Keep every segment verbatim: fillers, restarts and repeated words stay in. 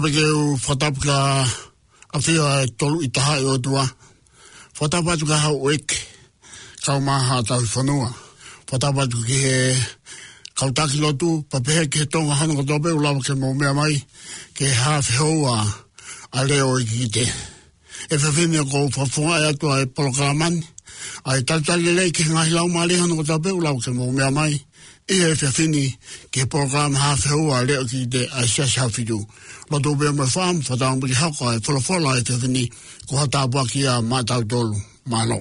Pea ke u fakatapu kia ʻAfio ʻa e Tolu ʻi Tahaʻi ʻOtua. Fakatapu atu kia Hauʻeke, kae ʻumaʻā haʻa tauhi fonua. Fakatapu atu ki he kau taki lotu, pea pehē ki he Tonga hono kotoa pē ʻoku lava ke mou meʻa mai ki he haafe houa ʻa e Leʻo ʻo e Kikite. ʻI he efiafi ni ʻoku ou fakafofongaʻi atu ʻa e polokalama ni, ʻa e talitali lelei ki he ngaahi laumālie hono kotoa pē ʻoku lava ke mou meʻa mai ʻi he efiafi ni ki he polokalama haafe houa ʻa e Leʻo ʻo e Kikite ʻa e Siasi Haʻafitu. Lotu pē mo e fakaʻamu, fakatauange ke hoko ʻa e folofola ʻo e efiafi ni ko ha tāpuaki ia maʻatautolu. Mālō.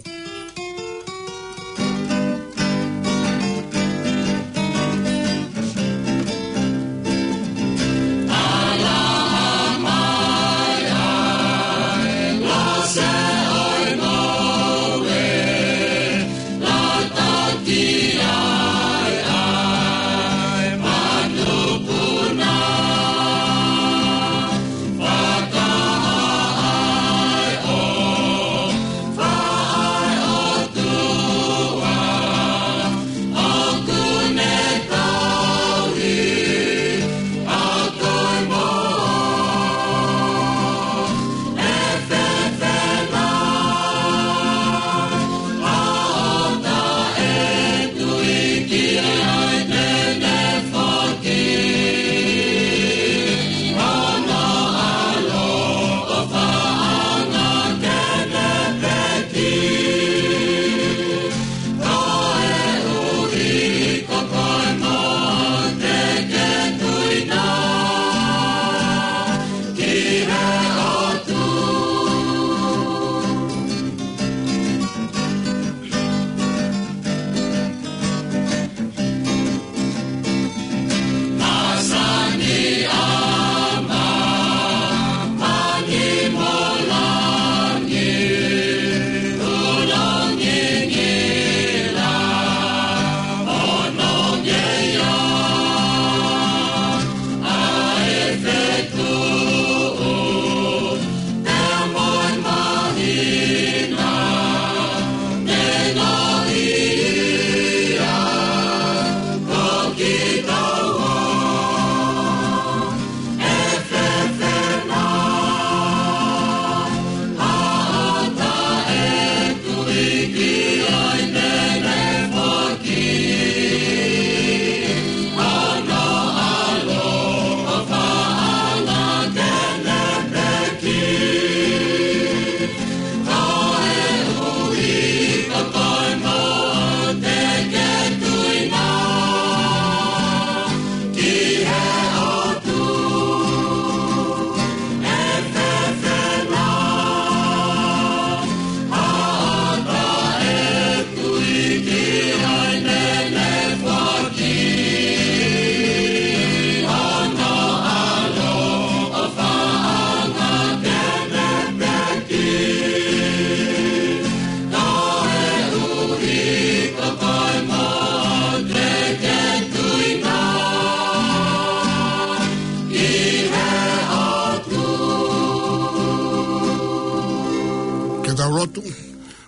Ke tau lotu.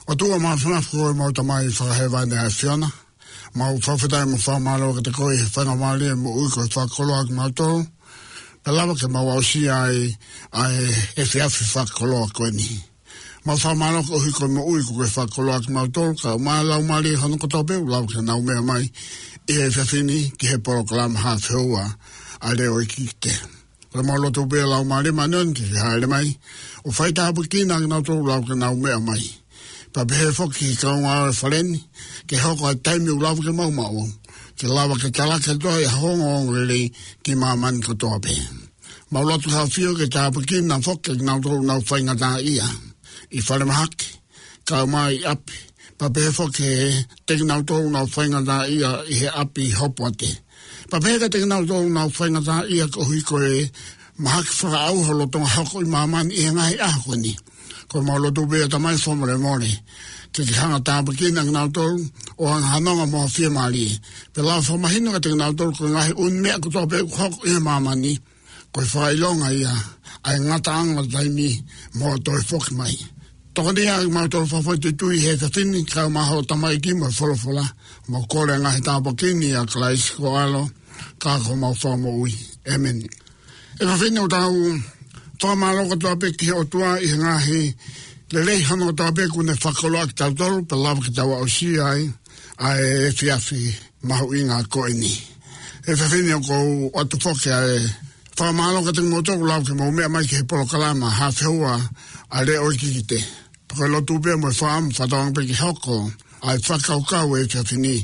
ʻOtua mafimafi ko homau Tamai Fakahēvani ʻa e ʻAfiona, mau fakafetaʻi mo fakamālō kiate koe he faingamālie e moʻui kuo ke fakakoloa kimautolu, pea lava ke mau aʻusia ai ʻa e efiafi fakakoloa ko eni. Mau fakamālō koeʻuhi ko e moʻui kuo ke fakakoloa kimautolu, kae ʻumaʻā e laumālie hono kotoa pē ʻoku lava ke nau meʻa mai ʻi he efiafi ni ki he polokalama haafe houa ʻa e Leʻo ʻo e Kikite. Ko ʻemau lotu pē Laumālie Māʻoniʻoni ke ke hāʻele mai ʻo fai tāpuekina kinautolu ʻoku lava ke nau meʻa mai. Pea pehē foki ki he kaungā ʻo e fale ni, ke hoko ʻa e taimi ʻoku lava ke maʻu maʻu, ke lava ke talaki atu ai ʻa hoʻo ongoongolelei ki māmani kotoa pē. Mau lotu ʻAfio ke tāpuekina foki kinautolu ʻoku nau faingataʻaʻia ʻi falemahaki, kae ʻumaʻā ʻi ʻapi, pea pehē foki kiate kinautolu ʻoku nau faingataʻaʻia ʻi he ʻapi hopoate. Pea pehē kiate kinautolu ʻoku nau faingataʻaʻia koeʻuhi ko e mahaki fakaʻauha lolotonga hoko ʻi māmani ʻi he ngaahi ʻaho ko eni. Ko ʻemau lotu pē ʻa e Tamai fakamolemole, ke ke hanga ʻo tāpuekina kinautolu ʻo hanga ʻo hanonga mo ha fiemālie. Pea lava fakamahino kiate kinautolu ko e ngaahi ʻū meʻa kotoa pē ʻoku hoko ʻi he māmani, ko e fakaʻilonga ia ʻa e ngataʻanga ʻo e taimi mo e toe foki mai. Tokoniʻi ʻa kimautolu fakafoʻituitui he efiafi ni, kae ʻumaʻā hoʻo tamaiki mo e folofola, mau kole ʻa e ngaahi tāpuaki ni ʻia Kalaisi ko ho ʻAlo, ka ko homau Fakamoʻui. ʻĒmeni. ʻE efiafi ni ʻoku tau Fakamālō kotoa pē ki he ʻOtua ʻi he ngaahi lelei hono kotoa pē kuo ne fakakoloaʻaki kitautolu pea lava ke tau aʻusia ai ʻa e efiafi mahuʻinga ko eni. Efiafi ni ʻoku ou ʻoatu foki ʻa e fakamālō kiate kimoutolu ʻoku lava ke mou meʻa mai ki he polokalama Hafeua ʻa e Leʻo Kikite. Pea ko e lotu pē mo e fakaʻamu fakatauange pē ke hoko ʻa e fakakaukau ʻo e efiafi ni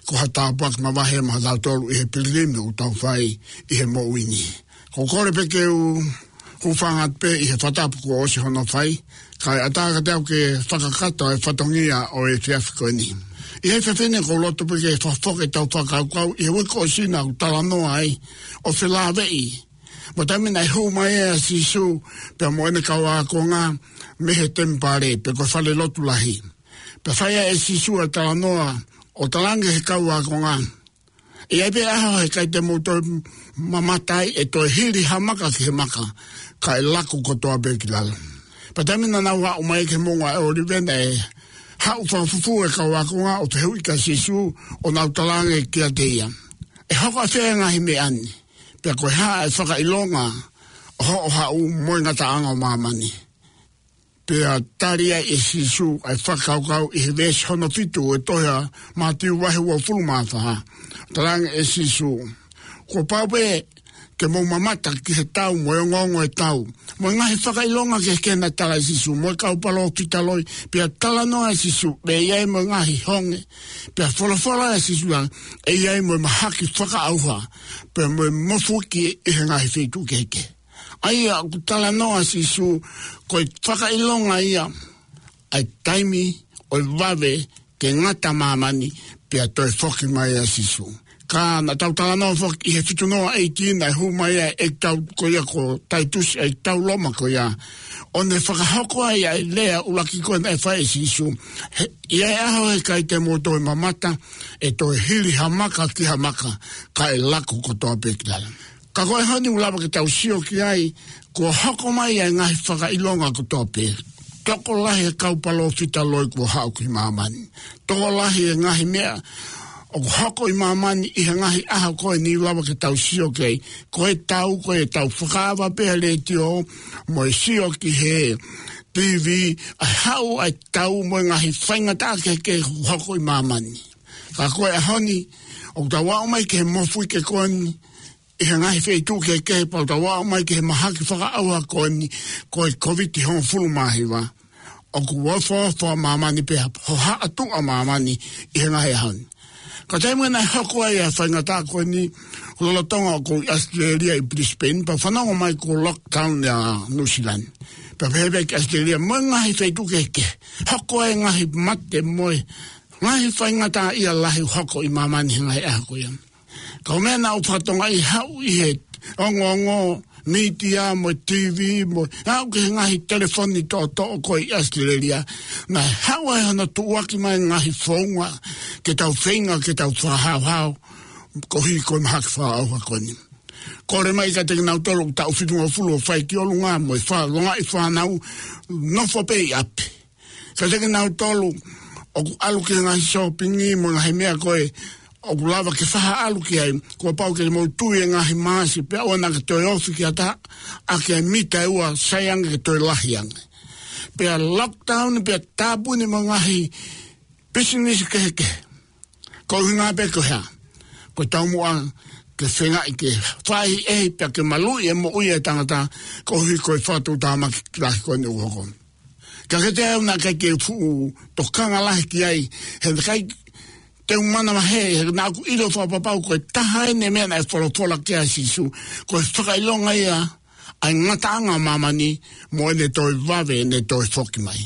ko ha tāpuaki mavahe maʻatautolu ʻi he piligimi ʻoku tau fai ʻi he moʻui ni. ʻOku ou kole pē ke u hūfanga pē ʻi he fakatapu kuo ʻosi hono fai, kae ʻatā kiate au ke fakakakato e fatongia ʻo e efiafi ko eni. ʻI he efiafi ni ʻoku ou loto pē ke fakafoki ʻetau fakakaukau ʻi he uike kuo ʻosi naʻa ku talanoa ai ʻo felāveʻi mo e taimi naʻe hū mai ai ʻa Sīsū pea mo ʻene kau ākonga mei he temipale pe ko e falelotu lahi. Pea fai ai ʻe Sīsū ʻa e talanoa ʻo talaange ki he kau ākonga, ʻe ʻi ai pē ʻaho he ʻikai te mou toe mamata ai, ʻe toe hili ha maka ki he maka, kae laku kotoa pē ki lalo. Pea taimi naʻa nau aʻu mai ki he Moʻunga ʻOlive naʻe haʻu fakafufū e kau ākonga ʻo fehuʻi kia Sīsū ʻo nau talaange kiate ia, ʻe hoko ʻafē ʻa e ngaahi meʻa ni? Pea ko e hā ʻa e fakaʻilonga ʻo hoʻo haʻu mo e ngataʻanga ʻo māmani? Pea tali ai ʻe Sīsū ʻa e fakakaukau ʻi he veesi hono fitu ʻo e tohi ʻa Mātiu vahe uofulu mā fā. Talaange ʻe Sīsū, kuo pau pē ke mou mamata ki he tau mo e ongoongo ʻo e tau, mo e ngaahi fakaʻilonga kehekehe naʻe tala ʻe Sīsū, mo e kau palōfita loi. Pea talanoa ʻa Sīsū, ʻe ʻi ai mo e ngaahi honge. Pea folofola ʻa Sīsū, ʻe ʻi ai mo e mahaki fakaʻauha, pea mo e mofuike ʻi he ngaahi feituʻu kehekehe. ʻA ia ʻoku talanoa ʻa Sīsū, ko e fakaʻilonga ia ʻa e taimi ʻo e vave ke ngata māmani pea toe foki mai ʻa Sīsū. Ka naʻa tau talanoa foki ʻi he fitu noa ʻeiki naʻe hū mai ai ʻa e ʻeikitau ko ia ko Taitusi, ʻeikitau Loma ko ia, ʻo ne fakahoko ai ʻa e lea ʻuluaki ko ē naʻe fai ʻe Sīsū, he ʻi ai ʻaho he ʻikai te mou toe mamata, ʻe toe hili ha maka ki ha maka, kae laku kotoa pē ki lalo. Ka ko e ʻaho ni ʻoku lava ke tau sio ki ai, kuo hoko mai ʻa e ngaahi fakaʻilonga kotoa pē. Tokolahi e kau palōfita loi kuo haʻu ki māmani. Tokolahi e ngaahi meʻa ʻoku hoko ʻi māmani ʻi he ngaahi ʻaho ko eni ʻoku lava ke tau sio ki ai. Ko e tau, ko e tau fakaava pē ʻa e letiō mo e sio ki he TV, ʻa e haʻu ʻa e tau mo e ngaahi faingataʻa kehekehe ʻoku hoko ʻi māmani. Ka ko e ʻaho ni ʻoku tau aʻu mai ki he mofuike ko eni ʻi he ngaahi feituʻu kehekehe, pea ʻoku tau aʻu mai ki he mahaki fakaʻauha ko eni, ko e Kōviti hongofulu mā hiva. ʻOku ofoofo ʻa māmani pea hohaʻa tuʻa ʻa māmani ʻi he ngaahi ʻaho ni. Ka taimi naʻe hoko ai ʻa e faingataʻa ko eni, lolotonga ʻoku ou ʻi ʻAositelēlia ʻi Brisbane, pea fanongo mai kuo lockdown ʻa Nuʻusila ni. Pea pehē pē ki ʻAositelēlia mo e ngaahi feituʻu kehekehe, hoko ai e ngaahi mate mo e ngaahi faingataʻaʻia lahi ʻoku hoko ʻi māmani he ngaahi ʻaho ko ia. Ka ko e meʻa naʻa ku fakatokangaʻi, haʻu ʻi he ongoongo mītia mo e TV mo e aʻu ki he ngaahi telefoni toʻotoʻo ko ē ʻi ʻAositelēlia, naʻe haʻu ai hono tuʻuaki mai e ngaahi founga ke tau feinga ke tau fakahaohaoa koeʻuhi ko e mahaki fakaʻauha ko eni. Kole mai kiate kinautolu ʻoku taʻu fitungofulu ʻo fai ki ʻolunga mo e fakalongoaʻa e fānau, nofo pē ʻi ʻapi. Kiate kinautolu ʻoku ʻalu ki he ngaahi sōpingi mo e ngaahi meʻa ko ē ʻoku lava ke fakaʻalu ki ai, kuo pau ke mou tui e ngaahi maasi pea ʻoua naʻa ke toe ofi ki ha taha ʻaki ʻa e mita ʻe ua, sai ange ke toe lahi ange. Pea lockdown, pea tāpuni mo e ngaahi pisinisi kehekehe. Ko e ʻuhinga pē ko e hā? Ko e taumuʻa ke feingaʻi ke fai ʻe he, pea ke maluʻi e moʻui ʻa e tangata, koeʻuhi ko e fakatuʻutāmaki lahi ko eni ʻoku hoko. Ka kiate au naʻe ʻikai ke u fuʻu tokanga lahi ki ai, he naʻe ʻikai te u manavahē, he naʻa ku ʻilo fakapapau ko e taha eni e meʻa naʻe folofola ki ai ʻa Sīsū, ko e fakaʻilonga ia ʻa e ngataʻanga ʻo māmani mo ʻene toe vave ʻene toe foki mai.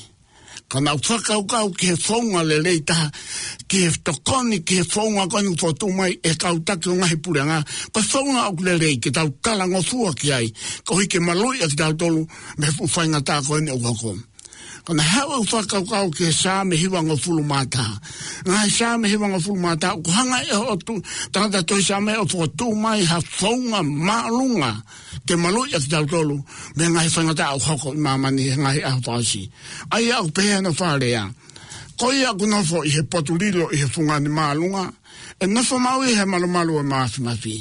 Ka naʻa ku fakakaukau ki he founga lelei taha, ki he tokoni ki he founga ko eni ʻoku fokotuʻu mai ʻe he kau taki ʻo e ngaahi puleʻanga, ko e founga ʻoku lelei ke tau talangofua ki ai, koeʻuhi ke maluʻi ʻa kitautolu mei he fuʻu faingataʻa ko eni ʻoku hoko. Ka naʻe haʻu ʻeku fakakaukau ki he Saame hivangofulu mā taha. Ngaahi Saame hivangofulu mā taha, ʻoku hanga ʻe he ʻOtua, tangata tohi Saame, ʻo fokotuʻu mai ha founga māʻolunga ke maluʻi ʻa kitautolu mei he ngaahi faingataʻa ʻoku hoko ʻi māmani he ngaahi ʻaho fakaʻosi. ʻA ia ʻoku pehē hono fakalea: Ko ia ʻoku nofo ʻi he potu lilo ʻi he fungani māʻolunga, ʻe nofo maʻu ia ʻi he malumalu ʻo e māfimafi.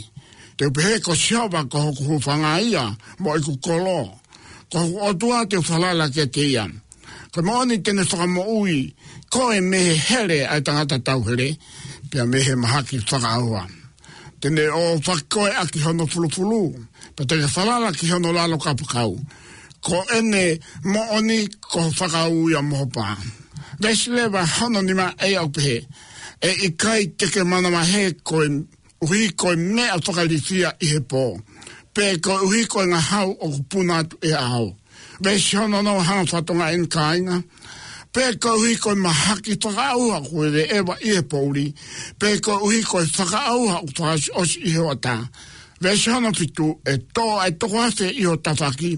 Te u pehē, ko Sihova ko hoku hūfanga ia mo ʻeku kolo, Ko hoku ʻOtua te u falala kiate ia. Ko e moʻoni te ne fakamoʻui koe mei he hele ʻa e tangata tauhele, pea mei he mahaki fakaʻauha. Te ne ʻoʻofaki koe ʻaki hono fulufulu, pea te ke falala ki hono lalo kapakau. Ko ʻene moʻoni ko e fakaū ia mo ho pā. Veesi leva hono nima ʻoku pehē, ʻE ʻikai te ke manavahē koeʻuhi ko e meʻa fakailifia ʻi he pō, pe koeʻuhi ko e ngahau ʻoku puna atu ʻi he ʻaho. Veesi hono ono, hanga ʻo fakatokangaʻi eni kāinga. Pe koeʻuhi ko e mahaki fakaʻauha ʻoku ʻeveʻeva ʻi he poʻuli, pe koeʻuhi ko e fakaʻauha ʻoku fakaʻosiʻosi ʻi he hoʻatā. Veesi hono fitu, ʻE tō ʻa e toko afe ʻi ho tafaʻaki,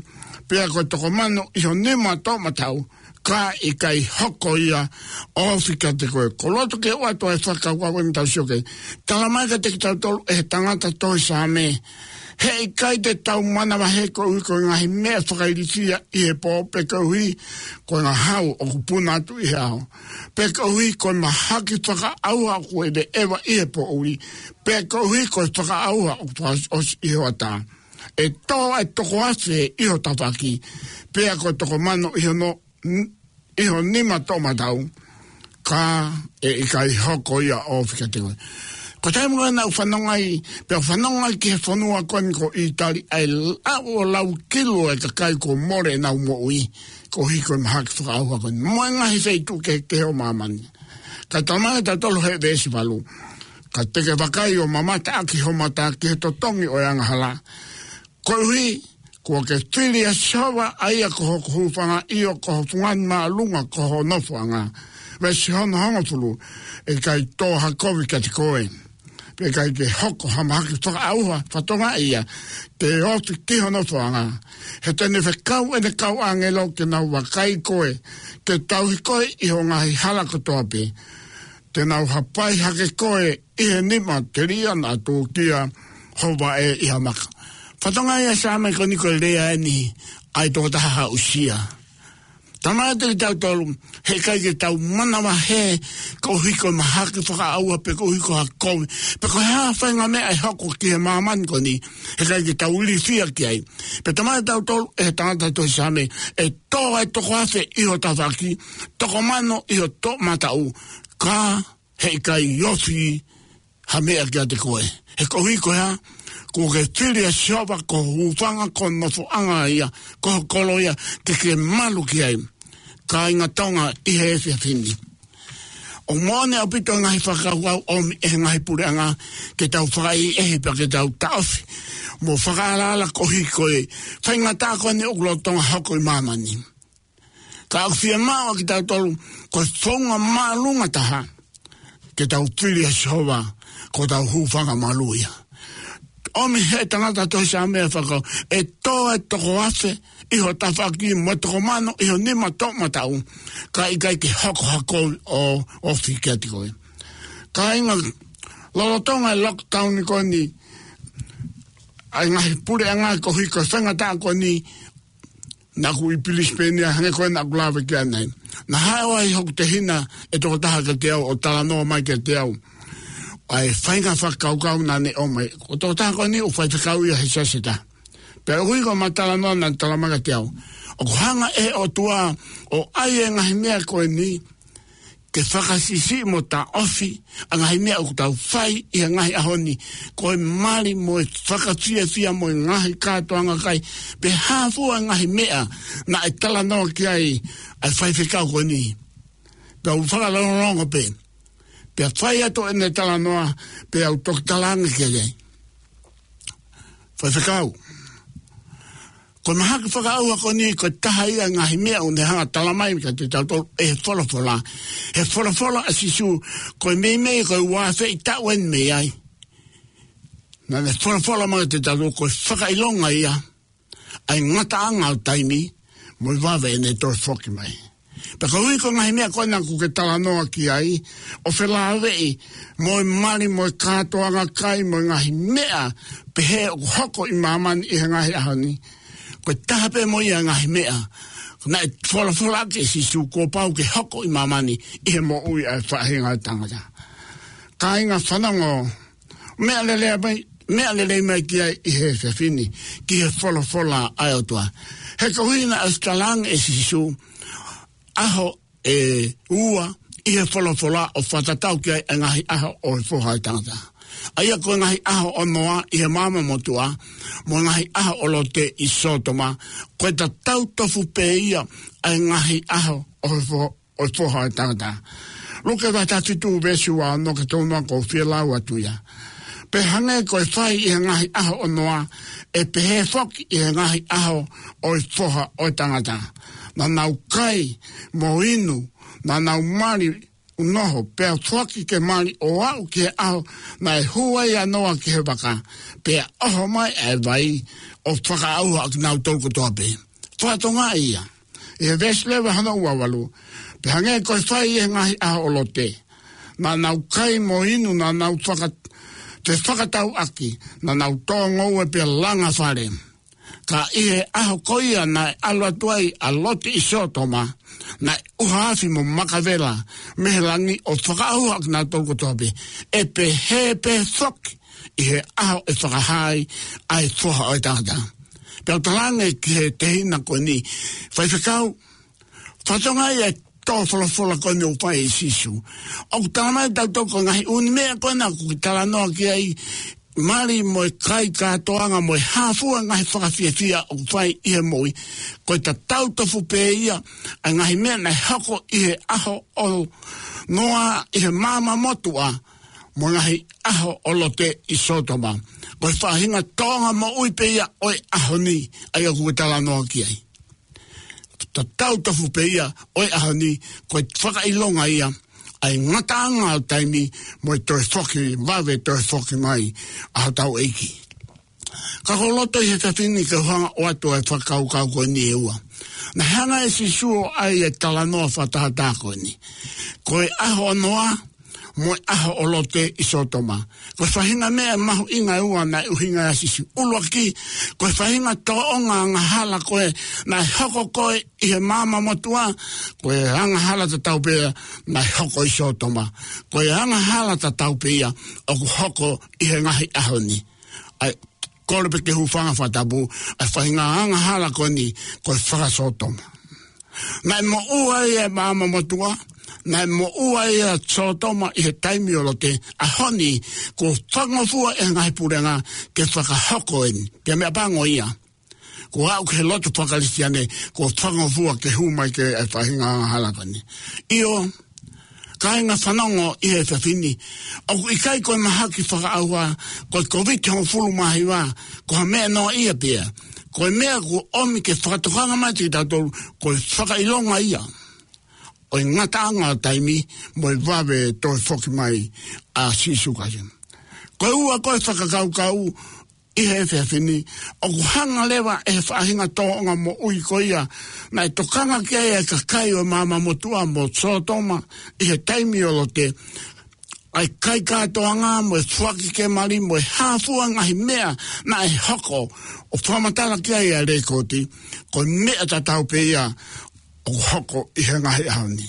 pea ko e toko mano ʻi ho nima toʻomataʻu, ka ʻe ʻikai hoko ia ʻo ofi kiate koe. Ko e loto ke u ʻoatu ʻa e fakakaukau ʻoku tau sio ki ai. Talamai kiate kitautolu ʻe he tangata tohi Saame, he ʻikai te tau manavahē koeʻuhi ko e ngaahi meʻa fakailifia ʻi he pō, pe koeʻuhi ko e ngahau ʻoku puna atu ʻi he ʻaho, pe koeʻuhi ko e mahaki fakaʻauha ʻoku ʻeveʻeva ʻi he poʻuli, pe koeʻuhi ko e fakaʻauha ʻoku fakaʻosiʻosi ʻi he hoʻatā. ʻE tō ʻa e toko afe ʻi ho tafaʻaki, pea ko e toko mano ʻi hono, ʻi ho nima toʻomataʻu, ka ʻe ʻikai hoko ia ʻo ofi kiate koe. Ko e taimi ko ē naʻa ku fanongo ai, pea fanongo ai ki he fonua ko eni ko ʻĪtali, ʻa e lau ʻo lau kilu e kakai kuo mole ʻenau moʻui, koeʻuhi ko e mahaki fakaʻauha ko eni, mo e ngaahi feituʻu kehekehe ʻo māmani. Ka talamai kiate kitautolu he veesi valu, Ka te ke vakai ʻo mamata ʻaki ho mata ki he totongi ʻo e angahala, koeʻuhi kuo ke fili ʻa Sihova ʻa ia ko hoku hūfanga, ʻio, ko ho fungani māʻolunga ko ho nofoʻanga. Veesi hono hongofulu, ʻE ʻikai tō ha kovi kiate koe, pe ʻikai ke hoko ha mahaki fakaʻauha, fakatokangaʻi ia, te ke ofi ki ho nofoʻanga. He te ne fekau ʻene kau ʻāngelo ke nau vakai koe, ke tauhi koe ʻi ho ngaahi hala kotoa pē. Te nau hapai hake koe ʻi he nima telia naʻa tūkia ho vaʻe ʻi ha maka. Fakatokangaʻi ʻa e Saame ko eni ko e lea eni ʻa e tokotaha aʻusia. Talamai kiate kitautolu, he ʻikai ke tau manavahē koeʻuhi ko e mahaki fakaʻauha, pe koeʻuhi ko ha kovi, pe ko e hā ha faʻahinga meʻa ʻe hoko ki he māmani ko eni, he ʻikai ke tau ilifia ki ai. Pea talamai kiate kitautolu ʻe he tangata tohi Saame, ʻE tō ʻa e toko afe ʻi ho tafaʻaki, toko mano ʻi ho toʻomataʻu, ka he ʻikai ofi ha meʻa kiate koe. He koeʻuhi ko e hā? Kuo ke fili ʻa Sihova ko ho hūfanga, ko ho nofoʻanga ia, ko ho kolo ia, ke ke malu ki ai. Kāinga Tonga ʻi he efiafi ni, ʻoku moʻoni ʻaupito e ngaahi fakakaukau ʻomi ʻe he ngaahi puleʻanga ke tau fakaʻehiʻehi pea ke tau taʻofi mo fakaalaala koeʻuhi ko e faingataʻa ko eni ʻoku lolotonga hoko ʻi māmani. Ka ʻoku fiemaʻu ʻa kitautolu, ko e founga māʻolunga taha, ke tau fili ʻa Sihova ko hotau hūfanga malu ia. ʻOmi ʻe he tangata tohi Saame ʻa e fakakaukau, ʻE tō ʻa e toko afe ʻi ho tafaʻaki, mo e toko mano ʻi ho nima toʻomataʻu, ka ʻe ʻikai ke hoko ha kovi ʻo ofi kiate koe. Kāinga, lolotonga e lockdown ko eni, ʻa e ngaahi puleʻanga koeʻuhi ko e faingataʻa ko eni, naʻa ku ʻi Brisbane ia, hangē ko e naʻa ku lave ki ai ʻanenai. Naʻe haʻu ai hoku tehina ʻe toko taha kiate au ʻo talanoa mai kiate au ʻa e faʻahinga fakakaukau naʻa ne ʻomai. Ko e toko taha ko eni ʻoku faifekau ia he siasi ʻe taha. Pea ʻoku ʻi ai ko ʻema talanoa naʻa ne talamai kiate au, ʻoku hanga ʻe he ʻOtua ʻo ʻai e ngaahi meʻa ko eni ke fakasiʻisiʻi mo taʻofi ʻa e ngaahi meʻa ʻoku tau fai ʻi he ngaahi ʻaho ni, ko e mali mo e fakafiefia mo e ngaahi kātoanga kai, pe hā fua e ngaahi meʻa naʻe talanoa ki ai ʻa e faifekau ko eni. Pea u fakalongolongo pē. Pea fai atu ʻene talanoa, pea u toki talaange ki ai, Faifekau, ko e mahaki fakaʻauha ko eni, ko e taha ia e ngaahi meʻa ʻoku ne hanga ʻo talamai kiate kitautolu ʻe he folofola. He folofola ʻa Sīsū, ko e meimei ko e ua afe taʻu eni mei ai, naʻa ne folofola mai kiate kitautolu ko e fakaʻilonga ia ʻa e ngataʻanga ʻo taimi, mo e vave ʻene toe foki mai. Pea koeʻuhi ko e ngaahi meʻa ko ena ʻoku ke talanoa ki ai, ʻo felāveʻi mo e mali mo e kātoanga kai mo e ngaahi meʻa pehē ʻoku hoko ʻi māmani ʻi he ngaahi ʻaho ni, ko e taha pē mo ia e ngaahi meʻa naʻe folofolaʻaki ʻe Sīsū kuo pau ke hoko ʻi māmani ʻi he moʻui ʻa e faʻahinga ʻo e tangata. Kāinga, fanongo, meʻa lelei mai, meʻa lelei mai ki ai ʻi he efiafi ni, ki he folofola ʻa e ʻOtua. He ko hono ʻuhinga ʻoku talaange ʻe Sīsū, ʻaho ʻe ua ʻi he folofola ʻoku fakatatau ki ai ʻa e ngaahi ʻaho ʻo e Foha ʻo e tangata. ʻA ia ko e ngaahi ʻaho ʻo Noa ʻi he maama motuʻa, mo e ngaahi ʻaho ʻo Lote ʻi Sōtoma, ko e tatau tofu pē ia ʻa e ngaahi ʻaho ʻo e fo-, ʻo e Foha ʻo e tangata. Luke vahe taha fitu veesi ua ono ki he tolu noa ʻoku ou fie lau atu ia. Pea hangē ko e fai ʻi he ngaahi ʻaho ʻo Noa, ʻe pehē foki ʻi he ngaahi ʻaho ʻo e Foha ʻo e tangata. Naʻa nau kai mo inu, naʻa nau mali ʻo noho, pea foaki ke mali ʻo aʻu ki he ʻaho naʻe hū ai ʻa Noa ki he vaka, pea ʻoho mai ʻa e vai ʻo fakaʻauha ʻa kinautolu kotoa pē. Fakatonga ia. ʻI he veesi leva hono ua valu. Pea hangē ko e fai ʻi he ngaahi ʻaho ʻo Lote. Naʻa nau kai mo inu, naʻa nau faka-, fefakatauʻaki, naʻa nau tō ngoue pea langa fale. Ka ʻi he ʻaho ko ia naʻe ʻalu atu ai ʻa Lote ʻi Sōtoma, naʻe ʻuha afi mo maka vela mei he langi ʻo fakaʻauha ʻa kinautolu kotoa pē. ʻE pehē pē foki ʻi he ʻaho ʻe fakahā ai ʻa e Foha ʻo e tangata. Pea u talaange ki he tehina ko eni, Faifekau, fakatonga ia ʻa e tō folofola ko eni ʻoku fai ʻe Sīsū. ʻOku tala mai tautolu ko e ngaahi ʻū meʻa ko ena ʻoku ke talanoa ki ai, mali mo e kai kātoanga mo e hā fua ngaahi fakafiefia ʻoku fai ʻi he moʻui. Ko e tatau tofu pē ia ʻa e ngaahi meʻa naʻe hoko ʻi he ʻaho ʻo Noa ʻi he maama motuʻa, mo e ngaahi ʻaho ʻo Lote ʻi Sōtoma. Ko e faʻahinga tōʻonga moʻui pē ia ʻo e ʻaho ni, ʻa ia ʻoku ke talanoa ki ai. Tatau tofu pē ia ʻo e ʻaho ni, ko e fakaʻilonga ia ʻa e ngataʻanga ʻo taimi mo e toe foki, vave toe foki mai ʻa hotau ʻEiki. Ka ʻoku ou loto ʻi he efiafi ni ke u hanga ʻo ʻoatu ʻa e fakakaukau ko eni ʻe ua. Naʻe hanga ʻe Sīsū ʻo ʻai ʻa e talanoa fakatātā ko eni. Ko e ʻaho ʻo Noa, mo e ʻaho ʻo Lote ʻi Sōtoma. Ko e faʻahinga meʻa mahuʻinga ʻe ua naʻe ʻuhinga ai ʻa Sīsū. ʻUluaki, ko e faʻahinga tōʻonga angahala ko ē naʻe hoko ko ē ʻi he maama motuʻa, ko e angahala tatau pē ia naʻe hoko ʻi Sōtoma. Ko e angahala tatau pē ia ʻoku hoko ʻi he ngaahi ʻaho ni. ʻA ia, kole pē ke hūfanga fakatapu, ʻa e faʻahinga angahala ko eni, ko e faka-Sōtoma. Naʻe moʻua ai ʻa e maama motuʻa, naʻe moʻua ai ʻa Sōtoma ʻi he taimi ʻo Lote, ʻaho ni, kuo fakangofua ʻe he ngaahi puleʻanga ke fakahoko eni. Pea meʻapango ia. Kuo aʻu ki he lotu faka-Kalisitiane, kuo fakangofua ke hū mai ki ai ʻa e faʻahinga angahala ko eni. ʻIo, kāinga fanongo ʻi he efiafi ni. ʻOku ʻikai ko e mahaki fakaʻauha, ko e Kōviti hongofulu mā hiva, ko ha meʻa noaʻia pē ia. Ko e meʻa kuo ʻomi ke fakatokanga mai kiate kitautolu, ko e fakaʻilonga ia ʻo e ngataʻanga ʻo taimi, mo e vave toe foki mai ʻa Sīsū Kalaisi. Ko e ua ko e fakakaukau, ʻi he efiafi ni, ʻoku hanga leva ʻe he faʻahinga tōʻonga moʻui ko ia naʻe tokanga ki ai ʻa e kakai ʻo e maama motuʻa mo Sōtoma ʻi he taimi ʻo Lote, ʻa e kai kātoanga mo e foaki ke mali mo e hā fua ngaahi meʻa naʻe hoko, ʻo fakamatala ki ai ʻa e lēkooti, ko e meʻa tatau pē ia ʻoku hoko ʻi he ngaahi ʻaho ni.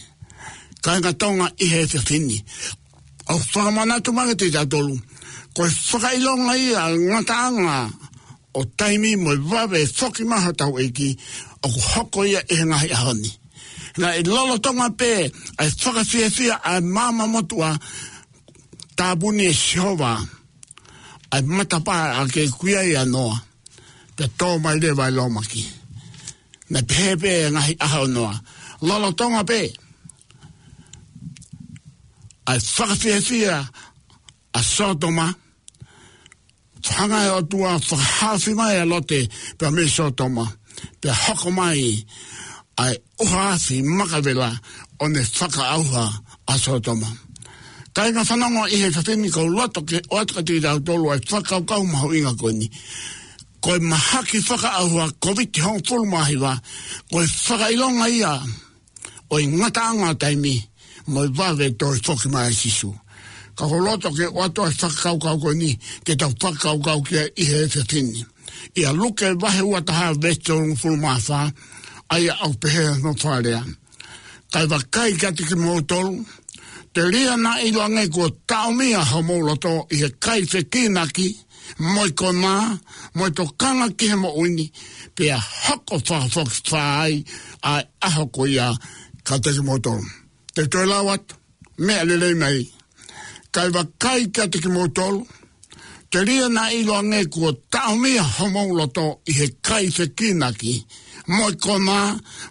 Kāinga Tonga ʻi he efiafi ni, ʻoku fakamanatu mai kiate kitautolu, ko e fakaʻilonga ia ʻa e ngataʻanga ʻo taimi mo e vave foki mai hotau ʻEiki, ʻoku hoko ia ʻi he ngaahi ʻaho ni. Naʻe lolotonga pē ʻa e fakafiefia ʻa e maama motuʻa, tāpuni ʻe Sihova ʻa e matapā ʻa ē naʻe kui ai ʻa Noa, pea tō mai leva ʻa e lōmaki. Naʻe pehē pē ʻa e ngaahi ʻaho ʻo Noa. Lolotonga pē ʻa e fakafiefia ʻa Sōtoma, hanga ʻe he ʻOtua ʻo fakahaofi mai ʻa Lote pea mei Sōtoma, pea hoko mai ʻa e ʻuha afi maka vela ʻo ne fakaʻauha ʻa Sōtoma. Kāinga fanongo ʻi he efiafi ni, ʻoku ou loto ke ʻoatu kiate kitautolu ʻa e fakakaukau mahuʻinga ko eni. Ko e mahaki fakaʻauha Kōviti hongofulu mā hiva, ko e fakaʻilonga ia ʻo e ngataʻanga ʻo taimi, mo e vave toe foki mai ʻa Sīsū. Ka ʻoku ou loto ke ʻoatu ʻa e fakakaukau ko eni, ke tau fakakaukau ki ai ʻi he efiafi ni. ʻIa Luke vahe ua taha veesi tolungofulu mā fā, ʻa ia ʻoku pehē hono fakalea. Kae vakai kiate kimoutolu, telia naʻa ʻiloange kuo taʻomia homou loto ʻi he kai fekīnaki, mo e konā, mo e tokanga ki he moʻui ni, pea hoko fakafokifā ai ʻa e ʻaho ko ia kiate kimoutolu. Te u toe lau atu, meʻa lelei mai. Kae vakai kiate kimoutolu, telia naʻa ʻiloange kuo taʻomia homou loto ʻi he kaifekinaki, mo e konā,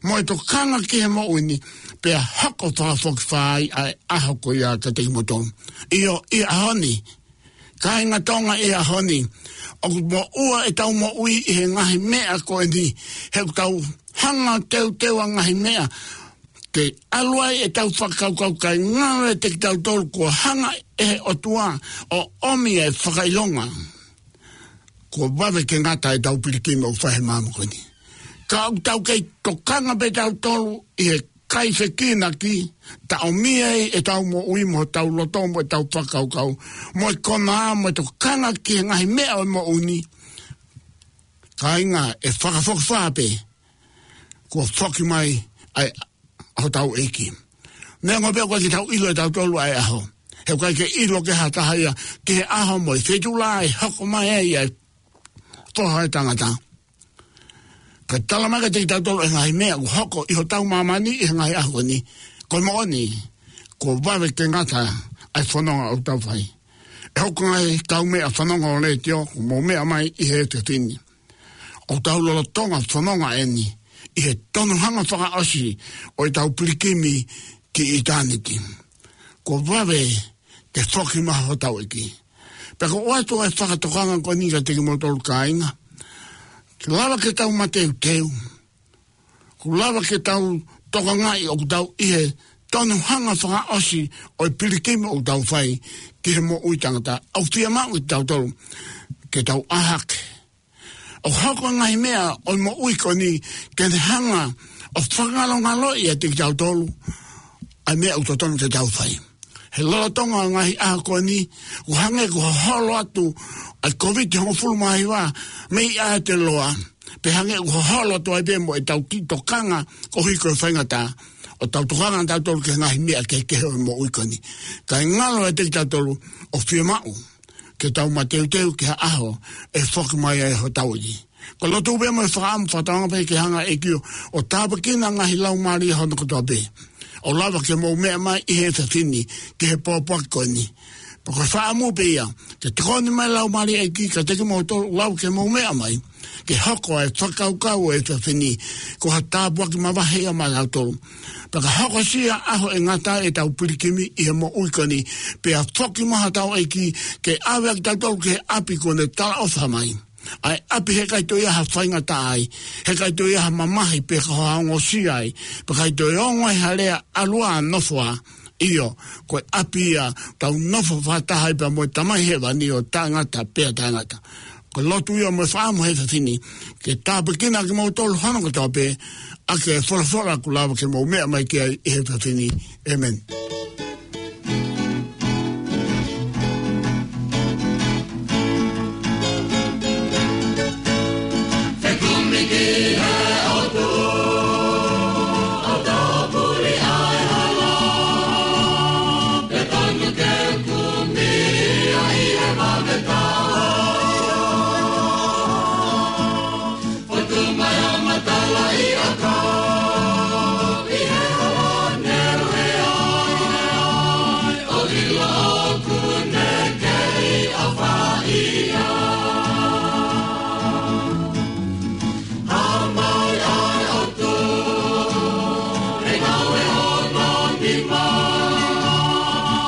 mo e tokanga ki he moʻui ni, pea hoko fakafokifā ai ʻa e ʻaho ko ia kiate kimoutolu. ʻIo, ʻi he ʻaho ni, kāinga Tonga, ʻi he ʻaho ni, ʻoku moʻua ʻetau moʻui ʻi he ngaahi meʻa ko eni, he ʻoku tau hanga teuteu ʻa e ngaahi meʻa ke ʻalu ai ʻetau fakakaukau, kae ngalo ʻiate kitautolu kuo hanga ʻe he ʻOtua ʻo ʻomi e fakaʻilonga kuo vave ke ngata ʻetau pilikimi ʻoku fai he māmani ko eni. Ka ʻoku tau kei tokanga pē tautolu ʻi he kaifekinaki, taʻomia ai ʻetau moʻui mo hotau loto mo ʻetau fakakaukau, mo e konā, mo e tokanga ki he ngaahi meʻa ʻo e moʻui ni. Kāinga, ʻe fakafokifā pē kuo foki mai ʻa e hotau ʻEiki. Neongo pē ʻoku ʻikai ke tau ʻilo ʻe tautolu ʻa e ʻaho, he ʻoku ʻikai ke ʻilo ʻe ha taha ia ki he ʻaho mo e feituʻu lahi ʻe hoko mai ai ʻa e Foha ʻo e Tangata. Ka tala mai kiate kitautolu e ngaahi meʻa ʻoku hoko ʻi hotau māmani ʻi he ngaahi ʻaho ni, ko e moʻoni, kuo vave ke ngata ʻa e fononga ʻoku tau fai. ʻE hoko ngaahi kaumeʻa fanongo letiō, ʻoku mou meʻa mai ʻi he efiafi ni. ʻOku tau lolotonga fononga eni ʻi he tonuhanga fakaʻosi ʻo ʻetau pilikimi ki ʻitāniti. Kuo vave ke foki mai hotau ʻEiki. Pea ʻoku ou ʻoatu ʻa e fakatokanga ko eni kiate kimoutolu kāinga. Lava ke tau mateuteu. ʻOku lava ke tau tokangaʻi ʻoku tau ʻi he tonuhanga fakaʻosi ʻo e pilikimi ʻoku tau fai ki he moʻui taʻengata. ʻOku fiemaʻu ʻe tautolu ke tau ʻā hake ʻo hoko e ngaahi meʻa ʻo e moʻui ko eni ke ne hanga ʻo fakangalongaloʻi ʻiate kitautolu ʻa e meʻa ʻoku totonu ke tau fai. He lolotonga e ngaahi ʻaho ko eni, ʻoku hangē ʻoku hoholo atu ʻa e Kōviti hongofulu mā hiva mei Aotearoa, pea hangē ʻoku hoholo atu ai pē mo ʻetau kiʻi tokanga koeʻuhi ko e faingataʻa ʻo tau tokanga tautolu ki he ngaahi meʻa kehekehe ʻo e moʻui ko eni. Kae ngalo ʻiate kitautolu ʻoku fiemaʻu ke tau mateuteu ki ha ʻaho ʻe foki mai ai hotau ʻEiki. Ko e lotu pē mo e fakaʻamu, fakatauange pē ke hanga ʻe he ʻEiki ʻo tāpuekina e ngaahi laumālie hono kotoa pē ʻoku lava ke mou meʻa mai ʻi he efiafi ni ki he pōpoaki ko eni. Pea ko e fakaʻamu pē ia ke tokoni mai e Laumālie ʻo e ʻEiki kiate kimoutolu ʻoku lava ke mou meʻa mai, ke hoko ʻa e fakakaukau ʻo e efiafi ni ko ha tāpuaki mavahe ia maʻatautolu. Pea ka hokosia e ʻaho ʻe ngata ai ʻetau pilikimi ʻi he moʻui ko eni, pea foki mai hotau ʻEiki ke ʻave kitautolu ki he ʻapi kuo ne talaʻofa mai, ʻa e ʻapi he ʻikai toe ʻi ai ha faingataʻa ai, he ʻikai toe ʻi ai ha mamahi pe ko ha ongosia ai, pea ʻikai toe ongo ai ha lea, ʻalu ā, nofo ā. ʻIo, ko e ʻapi ia ʻoku tau nofo fakataha ai pea mo e Tamai Hēvani ʻo taʻengata pea taʻengata. Ko e lotu ia mo e fakaʻamu he efiafi ni ke tāpuekina kimoutolu hono kotoa pē ʻaki e folofola ʻoku lava ke mou meʻa mai ki ai ʻi he efiafi ni. ʻĒmeni. Fekumi ki he ʻOtua, ʻo tāpuni ʻa e hala, pea tonu ke kumi ia ʻi he vave taha. Fotu mai ʻa e matalaʻiʻakau ʻi he hala ne ʻuhe ai, ʻo ʻilo ʻoku ne kei ʻofa ʻi ai. Hā mai ʻa e ʻOtua, ʻe ngāue hono nima,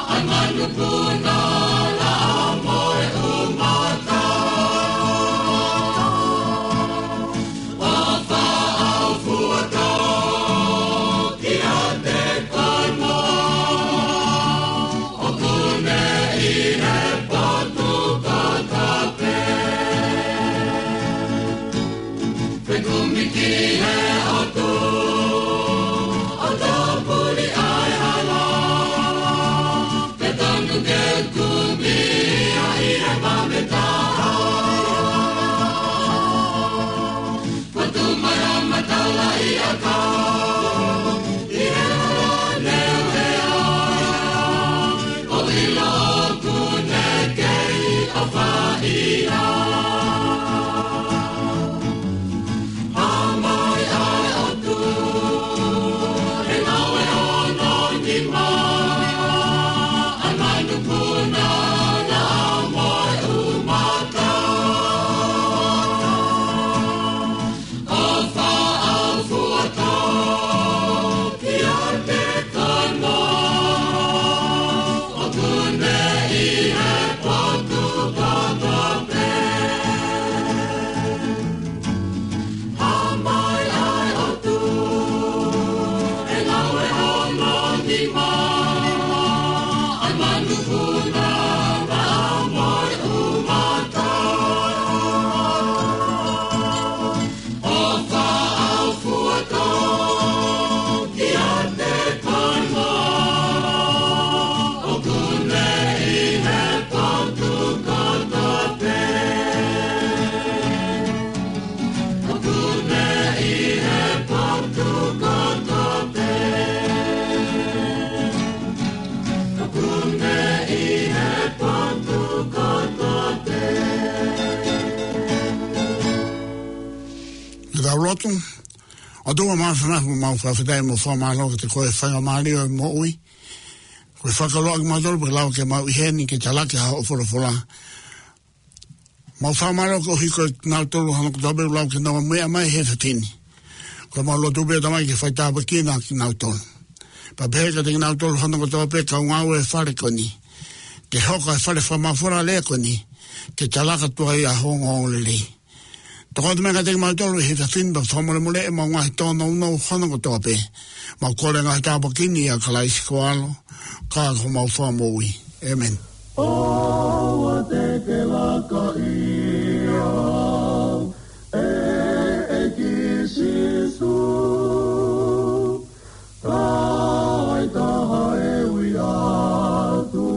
ʻa e manupuna, laʻā mo e ʻumata. ʻO faʻaufuatō kiate koe mo au, ʻoku ne ʻi he potu kotoa pē. Fekumi ki he ʻOtua, ʻo tāpuni ʻa e hala, Ke tau lotu. ʻOtua māfimafi, mau fakafetaʻi mo fakamālō kiate koe he faingamālie ʻo e moʻui. Ko e fakakoloa kimautolu pea lava ke mau ʻi heni ke talaki hoʻo folofola. Mau fakamālō koeʻuhi ko kinautolu hono kotoa pē ʻoku lau ke nau meʻa mai he efiafi ni. Ko ʻemau lotu pē Tamai ke faitāpuekina kinautolu. Pea pehē kiate kinautolu hono kotoa pē kau ngāue he fale ko eni. Ke hoko e fale fakamafola lelei ko eni. Ke talaki atu ai ʻa hoʻo ongoongolelei. Tokoni mai kiate kimautolu he efiafi ni pea fakamolemoleʻi ʻemau ngaahi tōnounou hono kotoa pē. Mau kole ngaahi tāpuaki ni ʻia Kalaisi ko ho ʻAlo, ka ko homau Fakamoʻui. ʻĒmeni. ʻOua te ke laka ia, ʻEiki Sīsū. Kae taha e ui atu,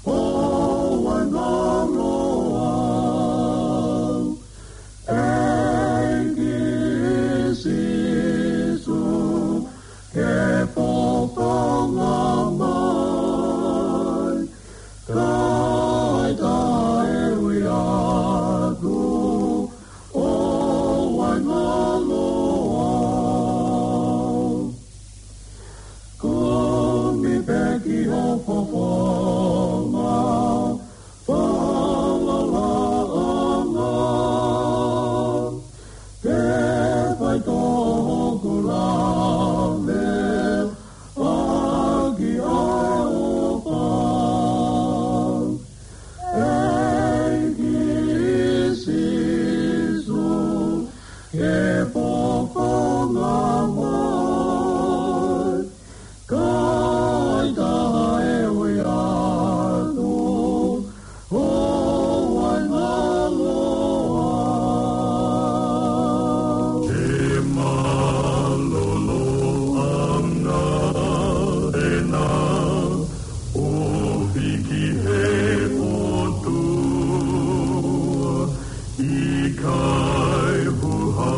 ʻoua naʻa lau au. ʻEiki Sīsū, ke fofonga mai. Kae taha e ui atu, ʻoua naʻa lau au. Kumi pē ki ho fofonga, falalaʻanga. Ke fai tō hoku lave, ʻaki ʻa e ʻofa. ʻEiki Sīsū, ke fofonga mai. Kae taha e ui atu, ʻoua naʻa lau au. He mālōlōʻanga ʻena, ofi ki he ʻOtua, ʻikai huʻa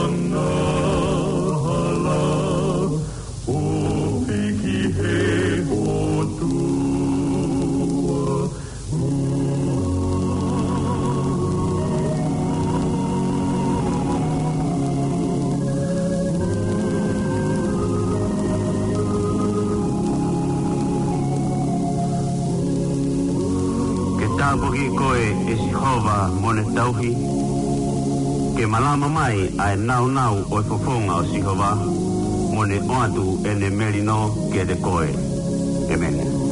angahala, ofi ki he ʻOtua. Ke tāpuakiʻi koe ʻe Sihova mo ne tauhi. Ke malama mai ʻa e nāunau ʻo e fofonga ʻo Sihova, mo ne ʻoatu ʻene melino kiate koe. ʻĒmeni.